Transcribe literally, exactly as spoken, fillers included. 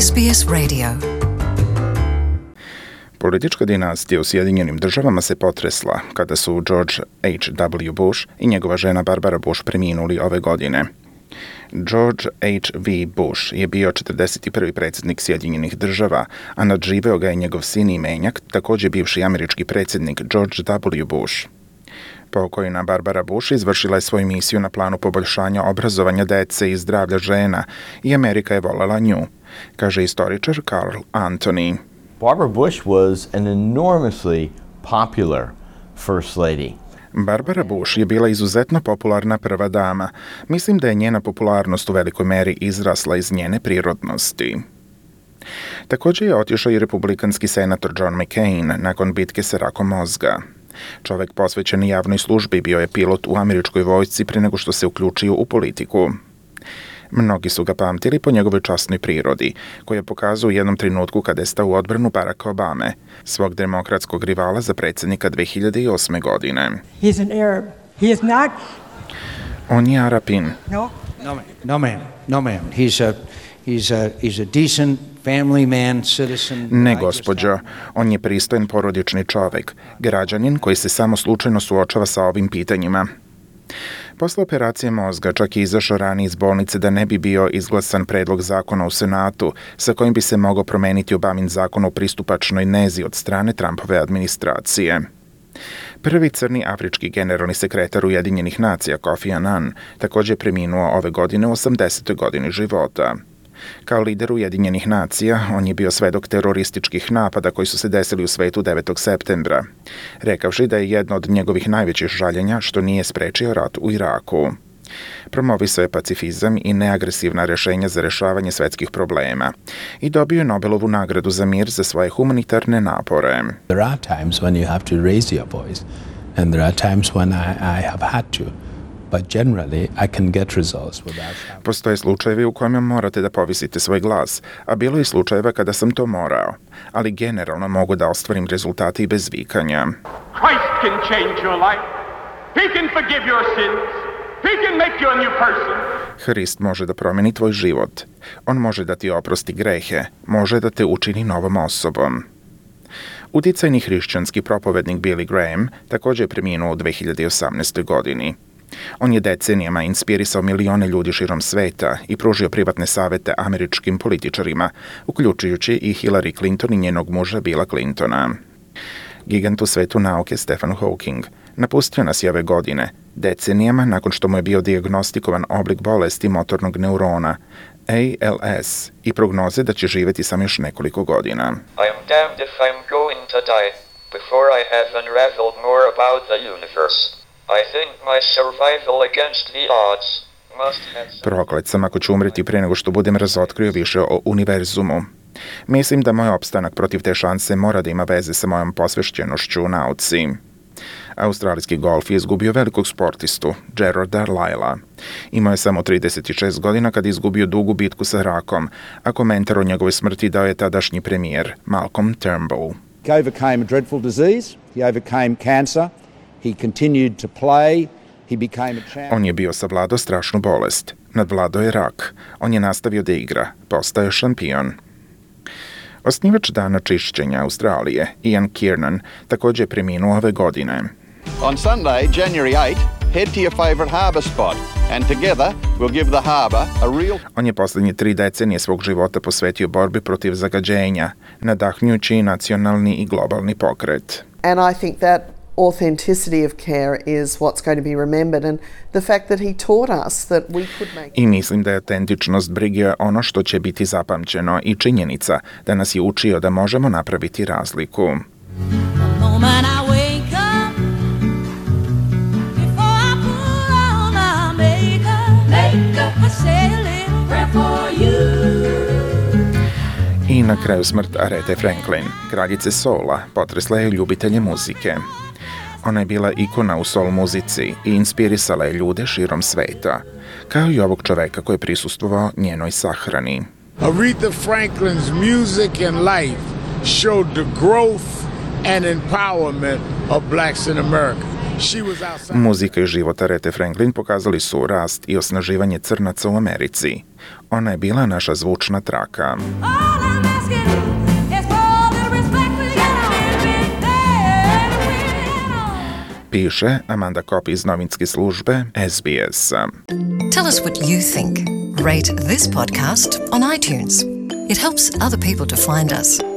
S B S Radio. Politička dinastija u Sjedinjenim državama se potresla kada su George H W. Bush i njegova žena Barbara Bush preminuli ove godine. George H V. Bush je bio četrdeset prvi predsjednik Sjedinjenih država, a nadživeo ga je njegov sin i menjak, također bivši američki predsjednik George W. Bush. Pokojna Barbara Bush izvršila je svoju misiju na planu poboljšanja obrazovanja dece i zdravlja žena i Amerika je voljela nju, kaže istoričar Carl Anthony. Barbara Bush was an enormously popular first lady. Barbara Bush je bila izuzetno popularna prva dama. Mislim da je njena popularnost u velikoj meri izrasla iz njene prirodnosti. Također je otišao i republikanski senator John McCain nakon bitke sa rakom mozga. Čovjek posvećen javnoj službi bio je pilot u američkoj vojsci prije nego što se uključio u politiku. Mnogi su ga pamtili po njegovoj časnoj prirodi, koju je pokazao u jednom trenutku kada je stao u odbranu Baracka Obame, svog demokratskog rivala za predsjednika dve hiljade osme. godine. He's an Arab. He is not. On je Arapin. No. No man. No man. No man. He's a he's a he's a decent family man, citizen. Ne, gospođo. On je pristojan porodični čovjek, građanin koji se samo slučajno suočava sa ovim pitanjima. Posle operacije mozga čak je izašao ranije iz bolnice da ne bi bio izglasan predlog zakona u Senatu sa kojim bi se mogao promeniti Obamin zakon o pristupačnoj nezi od strane Trumpove administracije. Prvi crni afrički generalni sekretar Ujedinjenih nacija Kofi Annan također je preminuo ove godine u osamdesetoj godini života. Kao lider Ujedinjenih nacija, on je bio svedok terorističkih napada koji su se desili u svetu devetog septembra, rekavši da je jedno od njegovih najvećih žaljenja što nije sprečio rat u Iraku. Promovisao je pacifizam i neagresivna rješenja za rješavanje svetskih problema i dobio je Nobelovu nagradu za mir za svoje humanitarne napore. There are times when you have to raise your voice and there are times when I, I have had to. But generally, I can get results without... Postoje slučajevi u kojima morate da povisite svoj glas, a bilo je slučajeva kada sam to morao, ali generalno mogu da ostvarim rezultate i bez vikanja. Christ can change your life. He can forgive your sins. He can make you a new person. Hrist može da promeni tvoj život. On može da ti oprosti grehe, može da te učini novom osobom. Uticajni hrišćanski propovednik Billy Graham također je preminuo u dve hiljade osamnaestoj. godini. On je decenijama inspirisao milione ljudi širom sveta i pružio privatne savete američkim političarima, uključujući i Hillary Clinton i njenog muža Billa Clintona. Gigant u svetu nauke Stephen Hawking napustio nas je ove godine, decenijama nakon što mu je bio dijagnostikovan oblik bolesti motornog neurona, A L S, i prognoze da će živjeti samo još nekoliko godina. I am damned if I'm going to die before I have unraveled more about the universe. I think my survival against the odds must have some... Proklet sam ako ću umreti prije nego što budem razotkrio više o univerzumu. Mislim da moj opstanak protiv te šanse mora da ima veze sa mojom posvešćenošću u nauci. Australijski golf je izgubio velikog sportistu, Gerarda Lyle. Imao je samo trideset šest godina kad je izgubio dugu bitku sa rakom, a komentar o njegovoj smrti dao je tadašnji premijer, Malcolm Turnbull. He overcame a dreadful disease, he overcame cancer. He continued to play. He became a champion. On je bio savladao strašnu bolest. Nadvladao je rak. On je nastavio da igra. Postao je šampion. Osnivač dana čišćenja Australije, Ian Kiernan, također je preminuo ove godine. On Sunday, January eighth, head to your favorite harbour spot and together we'll give the harbour a real... On je posljednje tri decenije svog života posvetio borbi protiv zagađenja, nadahnjući nacionalni i globalni pokret. And I think that authenticity of care is what's going to be remembered and the fact that he taught us that we could make... I mislim da je autentičnost brige ono što će biti zapamćeno i činjenica da nas je učio da možemo napraviti razliku. I na kraju smrt Arethe Franklin, kraljice soula, potresla je ljubitelje muzike. Ona je bila ikona u soul muzici i inspirisala je ljude širom sveta, kao i ovog čoveka koji je prisustvovao njenoj sahrani. Aretha Franklin's music and life showed the growth and empowerment of blacks in America. Muzika i život Arethe Franklin pokazali su rast i osnaživanje crnaca u Americi. Ona je bila naša zvučna traka. piše Amanda Kopp iz novinske službe S B S. Tell us what you think. Rate this podcast on iTunes. It helps other people to find us.